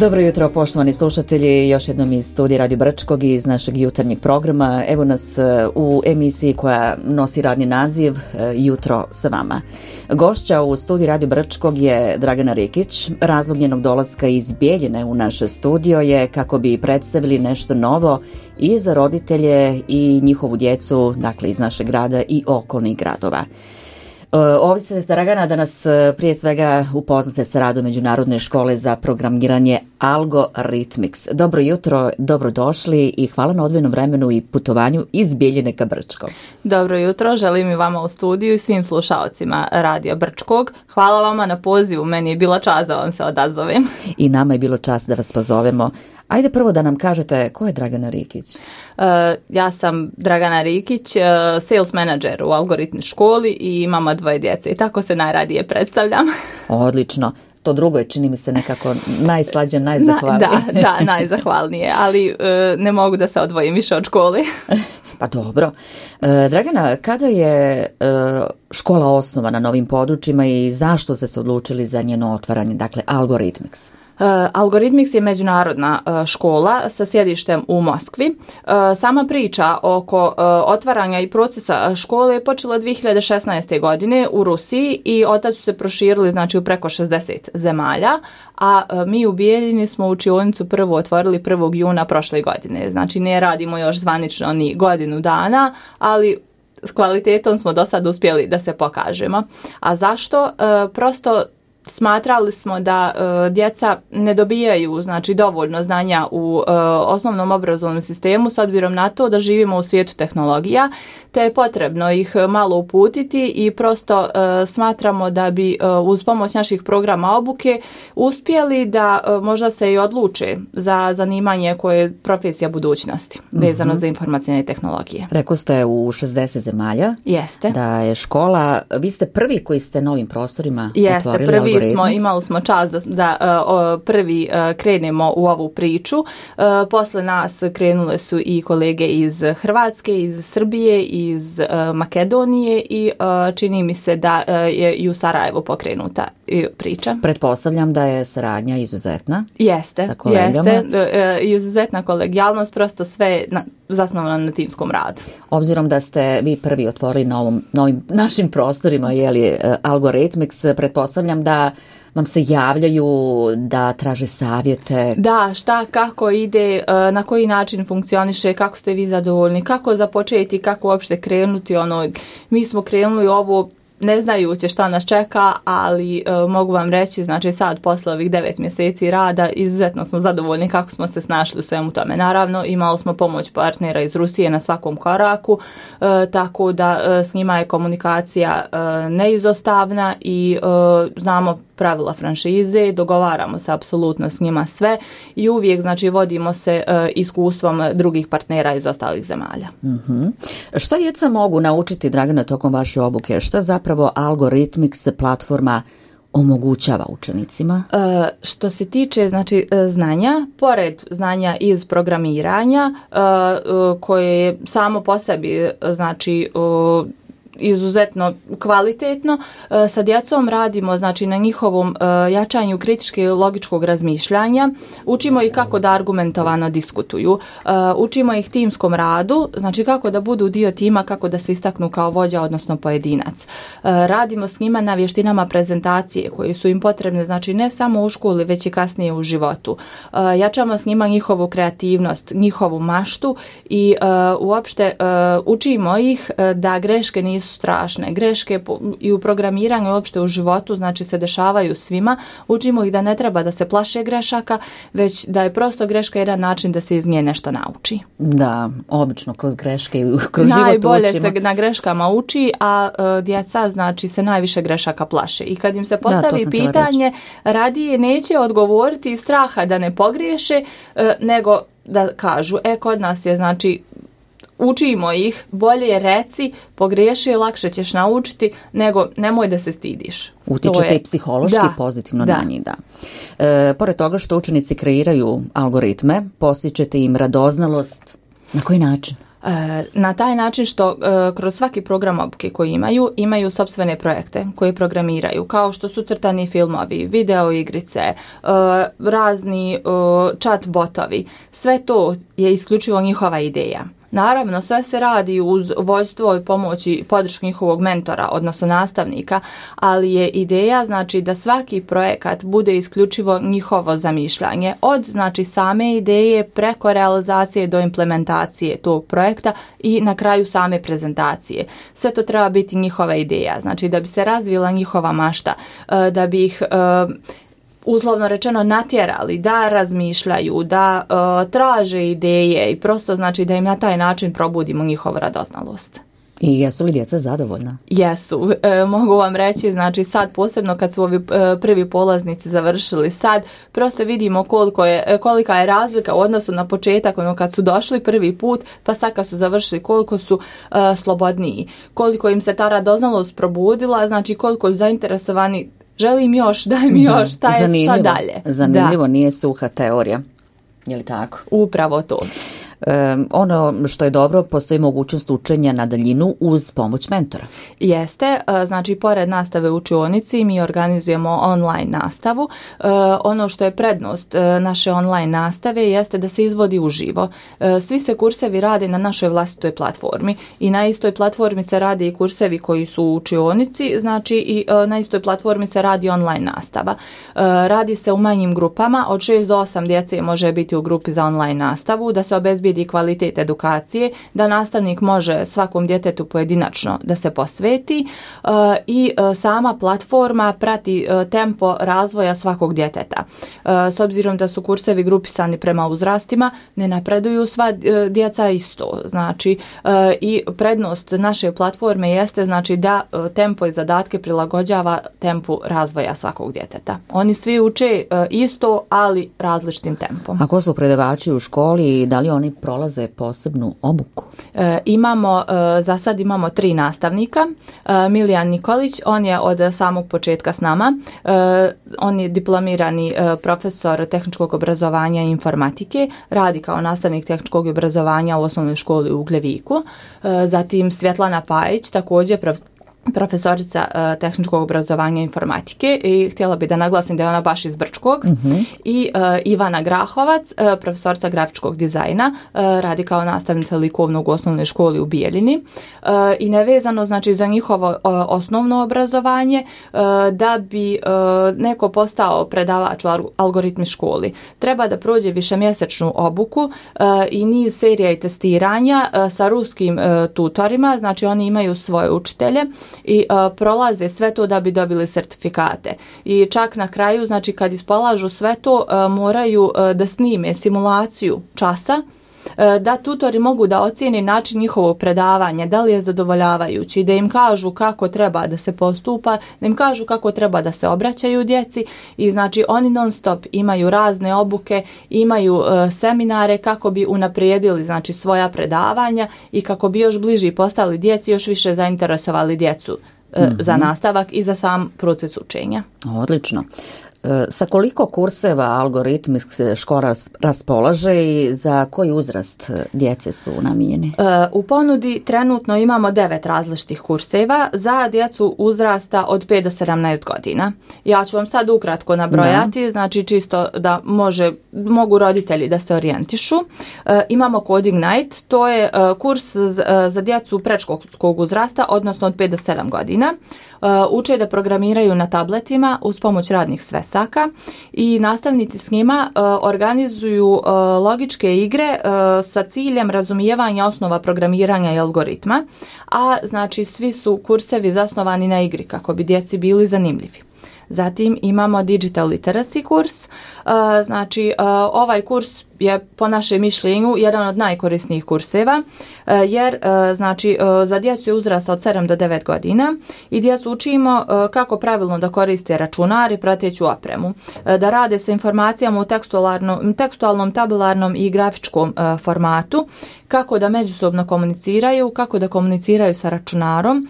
Dobro jutro, poštovani slušatelji, još jednom iz studija Radio Brčkog i iz našeg jutarnjeg programa. Evo nas u emisiji koja nosi radni naziv Jutro sa vama. Gošća u studiju Radio Brčkog je Dragana Rikić. Razlog njenog dolaska iz Bijeljine u naše studio je kako bi predstavili nešto novo i za roditelje i njihovu djecu, dakle iz našeg grada i okolnih gradova. Ovdje se Dragana da nas prije svega upoznate sa radom Međunarodne škole za programiranje Algorithmics. Dobro jutro, dobrodošli i hvala na odvojenom vremenu i putovanju iz Bijeljine ka Brčkog. Dobro jutro, želim i vama u studiju i svim slušaocima Radija Brčkog. Hvala vama na pozivu, meni je bila čast da vam se odazovem. I nama je bilo čast da vas pozovemo. Ajde prvo da nam kažete ko je Dragana Rikić? Ja sam Dragana Rikić, sales manager u Algoritmi školi i mama 2 djece i tako se najradije predstavljam. Odlično. To drugo je, čini mi se, nekako najslađe, najzahvalnije. Da, najzahvalnije, ali ne mogu da se odvojim više od škole. Pa dobro. Dragana, kada je škola osnovana na ovim područjima i zašto ste se odlučili za njeno otvaranje, dakle Algorithmics? Algorithmics je međunarodna škola sa sjedištem u Moskvi. Sama priča oko otvaranja i procesa škole je počela 2016. godine u Rusiji i otac su se proširili znači u preko 60 zemalja, a mi u Bijeljini smo učionicu prvo otvorili 1. juna prošle godine. Znači ne radimo još zvanično ni godinu dana, ali s kvalitetom smo do sad uspjeli da se pokažemo. A zašto? Prosto smatrali smo da djeca ne dobijaju znači dovoljno znanja u osnovnom obrazovnom sistemu s obzirom na to da živimo u svijetu tehnologija, te je potrebno ih malo uputiti i prosto smatramo da bi uz pomoć naših programa obuke uspjeli da možda se i odluče za zanimanje koje je profesija budućnosti vezano za informacijne tehnologije. Rekli ste u 60 zemalja. Jeste. Da je škola, vi ste prvi koji ste na ovim prostorima otvorili prvi imali smo čast da prvi krenemo u ovu priču. Posle nas krenule su i kolege iz Hrvatske, iz Srbije, iz Makedonije i čini mi se da je i u Sarajevu pokrenuta priča. Pretpostavljam da je saradnja izuzetna. Jeste, sa kolegama. Izuzetna kolegijalnost, prosto sve zasnovano na timskom radu. Obzirom da ste vi prvi otvorili na ovim našim prostorima, Algorithmics, pretpostavljam da vam se javljaju, da traže savjete. Da, šta, kako ide, na koji način funkcioniše, kako ste vi zadovoljni, kako započeti, kako uopšte krenuti. Mi smo krenuli ovo ne znajući šta nas čeka, ali mogu vam reći, znači sad posle ovih 9 mjeseci rada izuzetno smo zadovoljni kako smo se snašli u svemu tome. Naravno, imali smo pomoć partnera iz Rusije na svakom koraku, tako da s njima je komunikacija neizostavna i znamo pravila franšize, dogovaramo se apsolutno s njima sve i uvijek znači vodimo se iskustvom drugih partnera iz ostalih zemalja. Šta djeca mogu naučiti, Dragana, tokom vaše obuke? Šta zapravo Algorithmics platforma omogućava učenicima? Što se tiče znači znanja, pored znanja iz programiranja koje je samo po sebi znači izuzetno kvalitetno, sa djecom radimo znači na njihovom jačanju kritičkog i logičkog razmišljanja, učimo ih kako da argumentovano diskutuju, učimo ih timskom radu, znači kako da budu dio tima, kako da se istaknu kao vođa odnosno pojedinac. Radimo s njima na vještinama prezentacije koje su im potrebne znači ne samo u školi već i kasnije u životu. Jačamo s njima njihovu kreativnost, njihovu maštu i uopšte učimo ih da greške nisu strašne. Greške i u programiranju i uopšte u životu znači se dešavaju svima. Učimo ih da ne treba da se plaše grešaka, već da je prosto greška jedan način da se iz nje nešto nauči. Da, obično kroz greške i kroz život najbolje učimo. Se na greškama uči, a djeca znači se najviše grešaka plaše. I kad im se postavi pitanje, radije neće odgovoriti iz straha da ne pogriješe, nego da kažu, kod nas je znači učimo ih, bolje reci, pogriješi, lakše ćeš naučiti, nego nemoj da se stidiš. Utičete i psihološki pozitivno na njih, da. Pored toga što učenici kreiraju algoritme, postičete im radoznalost. Na koji način? Na taj način što kroz svaki program obuke koji imaju sopstvene projekte koje programiraju, kao što su crtani filmovi, video igrice, razni chat botovi. Sve to je isključivo njihova ideja. Naravno, sve se radi uz vođstvo i pomoći i podršku njihovog mentora, odnosno nastavnika, ali je ideja znači da svaki projekat bude isključivo njihovo zamišljanje, od znači same ideje preko realizacije do implementacije tog projekta i na kraju same prezentacije. Sve to treba biti njihova ideja, znači da bi se razvila njihova mašta, da bi ih uslovno rečeno natjerali da razmišljaju, da traže ideje i prosto znači da im na taj način probudimo njihovu radoznalost. I jesu li djeca zadovoljna? Jesu. Mogu vam reći, znači sad posebno kad su ovi prvi polaznici završili, sad prosto vidimo kolika je razlika u odnosu na početak, kad su došli prvi put, pa sad kad su završili, koliko su slobodniji, koliko im se ta radoznalost probudila, znači koliko zainteresovani, želim još, daj mi još, šta dalje. Zanimljivo, nije suha teorija. Je li tako? Upravo to. Ono što je dobro, postoji mogućnost učenja na daljinu uz pomoć mentora. Jeste, znači pored nastave u učionici mi organizujemo online nastavu. Ono što je prednost naše online nastave jeste da se izvodi uživo. Svi se kursevi rade na našoj vlastitoj platformi i na istoj platformi se rade i kursevi koji su u učionici, znači i na istoj platformi se radi online nastava. Radi se u manjim grupama, od 6 do 8 djece može biti u grupi za online nastavu, da se obezbijedi kvalitet edukacije, da nastavnik može svakom djetetu pojedinačno da se posveti i sama platforma prati tempo razvoja svakog djeteta. S obzirom da su kursevi grupisani prema uzrastima, ne napreduju sva djeca isto. Znači i prednost naše platforme jeste znači da tempo i zadatke prilagođava tempu razvoja svakog djeteta. Oni svi uče isto, ali različitim tempom. A ko su predavači u školi i da li oni prolaze posebnu obuku? Za sad imamo 3 nastavnika. Milijan Nikolić, on je od samog početka s nama. On je diplomirani profesor tehničkog obrazovanja i informatike, radi kao nastavnik tehničkog obrazovanja u osnovnoj školi u Ugljeviku. Zatim Svjetlana Pajić, također profesorica tehničkog obrazovanja i informatike i htjela bi da naglasim da je ona baš iz Brčkog. I Ivana Grahovac, profesorica grafičkog dizajna, radi kao nastavnica likovnog u osnovnoj školi u Bijeljini i nevezano znači za njihovo osnovno obrazovanje, da bi neko postao predavač u algoritmi školi, treba da prođe višemjesečnu obuku i niz serija i testiranja sa ruskim tutorima, znači oni imaju svoje učitelje i prolaze sve to da bi dobili sertifikate. I čak na kraju, znači kad ispolažu sve to, moraju da snime simulaciju časa, da tutori mogu da ocijeni način njihovog predavanja, da li je zadovoljavajući, da im kažu kako treba da se postupa, da im kažu kako treba da se obraćaju djeci i znači oni non stop imaju razne obuke, imaju seminare kako bi unaprijedili znači svoja predavanja i kako bi još bliži postali djeci, još više zainteresovali djecu za nastavak i za sam proces učenja. Odlično. Sa koliko kurseva algoritmik škola raspolaže i za koji uzrast djece su namijenjeni? U ponudi trenutno imamo 9 različitih kurseva za djecu uzrasta od 5 do 17 godina. Ja ću vam sad ukratko nabrojati, znači čisto da mogu roditelji da se orijentišu. Imamo Coding Night, to je kurs za djecu predškolskog uzrasta, odnosno od 5 do 7 godina. Uče da programiraju na tabletima uz pomoć radnih svesaka i nastavnici s njima organizuju logičke igre sa ciljem razumijevanja osnova programiranja i algoritma, a znači svi su kursevi zasnovani na igri kako bi djeci bili zanimljivi. Zatim imamo Digital Literacy kurs, znači ovaj kurs je po našem mišljenju jedan od najkorisnijih kurseva jer znači za djecu je uzrasta od 7 do 9 godina i djecu učimo kako pravilno da koriste računar i prateću opremu, da rade sa informacijama u tekstualnom, tabularnom i grafičkom formatu, kako da međusobno komuniciraju, kako da komuniciraju sa računarom,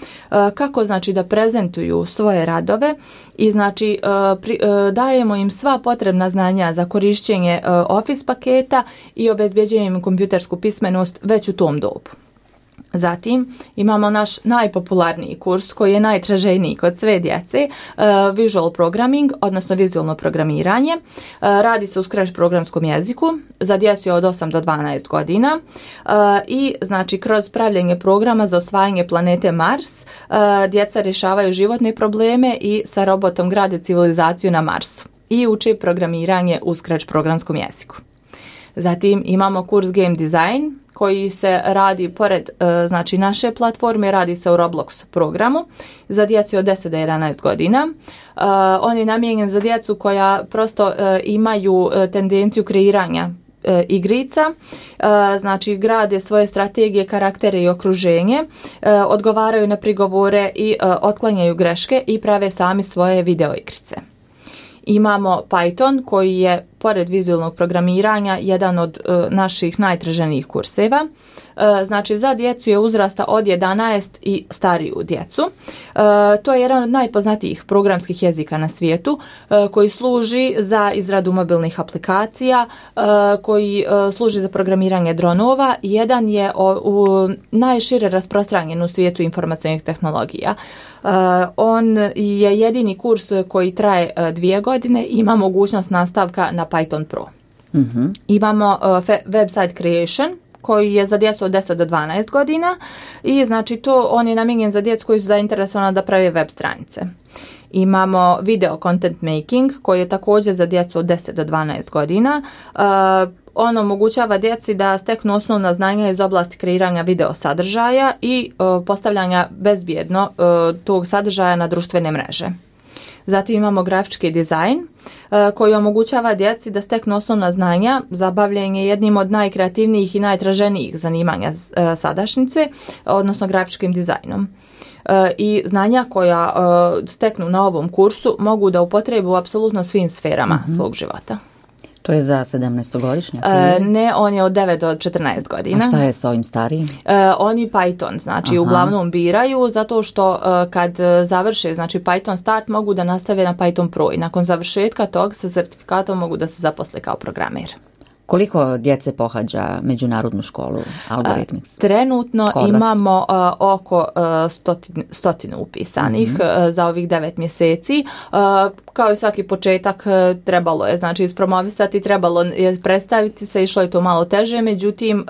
kako znači da prezentuju svoje radove i znači dajemo im sva potrebna znanja za korišćenje Office paketa interneta i obezbjeđujemo im kompjutersku pismenost već u tom dobu. Zatim imamo naš najpopularniji kurs koji je najtraženiji kod sve djece, Visual Programming, odnosno vizualno programiranje. Radi se u Scratch programskom jeziku za djecu od 8 do 12 godina i znači kroz pravljenje programa za osvajanje planete Mars djeca rješavaju životne probleme i sa robotom grade civilizaciju na Marsu i uče programiranje u Scratch programskom jeziku. Zatim imamo kurs Game Design koji se radi pored znači naše platforme, radi se u Roblox programu za djecu od 10 do 11 godina. On je namijenjen za djecu koja prosto imaju tendenciju kreiranja igrica, znači grade svoje strategije, karaktere i okruženje, odgovaraju na prigovore i otklanjaju greške i prave sami svoje video igrice. Imamo Python koji je pored vizualnog programiranja jedan od naših najtraženijih kurseva. Znači za djecu je uzrasta od 11 i stariju djecu. To je jedan od najpoznatijih programskih jezika na svijetu koji služi za izradu mobilnih aplikacija, koji služi za programiranje dronova. Jedan je najšire rasprostranjen u svijetu informacionih tehnologija. On je jedini kurs koji traje 2 godine i ima mogućnost nastavka na Python Pro. Mm-hmm. Imamo website creation koji je za djecu od 10 do 12 godina i znači on je namijenjen za djecu koji su zainteresovani da prave web stranice. Imamo video content making koji je također za djecu od 10 do 12 godina. On omogućava djeci da steknu osnovna znanja iz oblasti kreiranja video sadržaja i postavljanja bezbjedno tog sadržaja na društvene mreže. Zatim imamo grafički dizajn koji omogućava djeci da steknu osnovna znanja za bavljenje jednim od najkreativnijih i najtraženijih zanimanja sadašnjice, odnosno grafičkim dizajnom. I znanja koja steknu na ovom kursu mogu da upotrebu u apsolutno svim sferama svog života. To je za 17-godišnjak? Ne, on je od 9 do 14 godina. A šta je s ovim starijim? Oni Python, znači uglavnom biraju zato što kad završe znači Python Start mogu da nastave na Python Pro i nakon završetka tog sa certifikatom mogu da se zaposle kao programer. Koliko djece pohađa međunarodnu školu Algorithmics? Trenutno imamo oko 100 upisanih za ovih 9 mjeseci. Kao i svaki početak trebalo je znači ispromovisati, trebalo je predstaviti se, išlo je to malo teže, međutim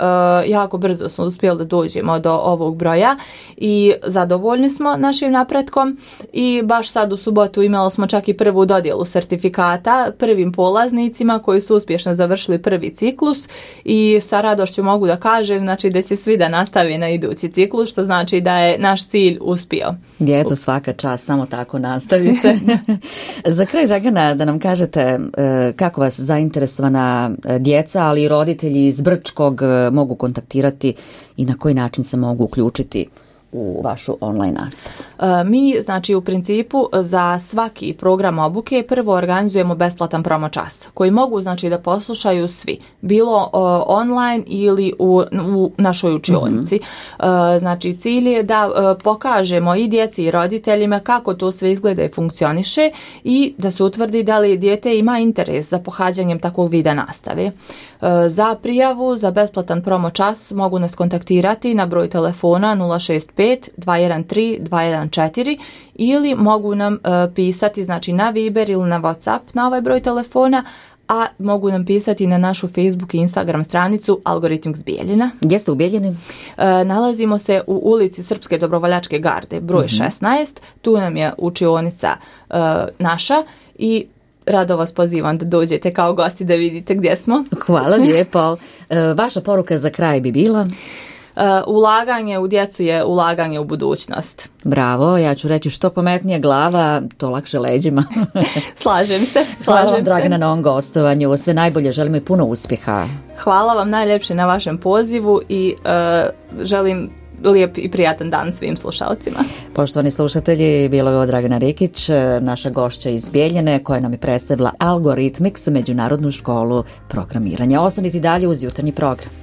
jako brzo smo uspjeli da dođemo do ovog broja i zadovoljni smo našim napretkom i baš sad u subotu imali smo čak i prvu dodjelu sertifikata prvim polaznicima koji su uspješno završili prvi ciklus i sa radošću mogu da kažem znači da će svi da nastave na idući ciklus, što znači da je naš cilj uspio. Djeco, svaka čast, samo tako nastavite. Za kraj, Dragana, da nam kažete kako vas zainteresovana djeca, ali i roditelji iz Brčkog mogu kontaktirati i na koji način se mogu uključiti u vašu online nastavu? Mi, znači, u principu za svaki program obuke prvo organizujemo besplatan promo čas koji mogu, znači, da poslušaju svi, bilo online ili u našoj učionici. Znači, cilj je da pokažemo i djeci i roditeljima kako to sve izgleda i funkcioniše i da se utvrdi da li dijete ima interes za pohađanjem takvog vida nastave. Za prijavu za besplatan promo čas mogu nas kontaktirati na broj telefona 065 213 214 ili mogu nam pisati znači na Viber ili na WhatsApp na ovaj broj telefona, a mogu nam pisati na našu Facebook i Instagram stranicu Algorithmics Bijeljina. Gdje ste u Bijeljini? Nalazimo se u ulici Srpske dobrovoljačke garde, broj 16. Tu nam je učionica naša i rado vas pozivam da dođete kao gosti da vidite gdje smo. Hvala lijepo. Vaša poruka za kraj bi bila? Ulaganje u djecu je ulaganje u budućnost. Bravo, ja ću reći što pametnija glava, to lakše leđima. Slažem se. Hvala vam, Dragana, na ovom gostovanju. Sve najbolje, želim i puno uspjeha. Hvala vam najljepše na vašem pozivu i želim lijep i prijatan dan svim slušalcima. Poštovani slušatelji, bila je ovo Dragana Rikić, naša gošća iz Bijeljine, koja nam je predstavila Algorithmics, međunarodnu školu programiranja. Ostanite dalje uz jutarnji program.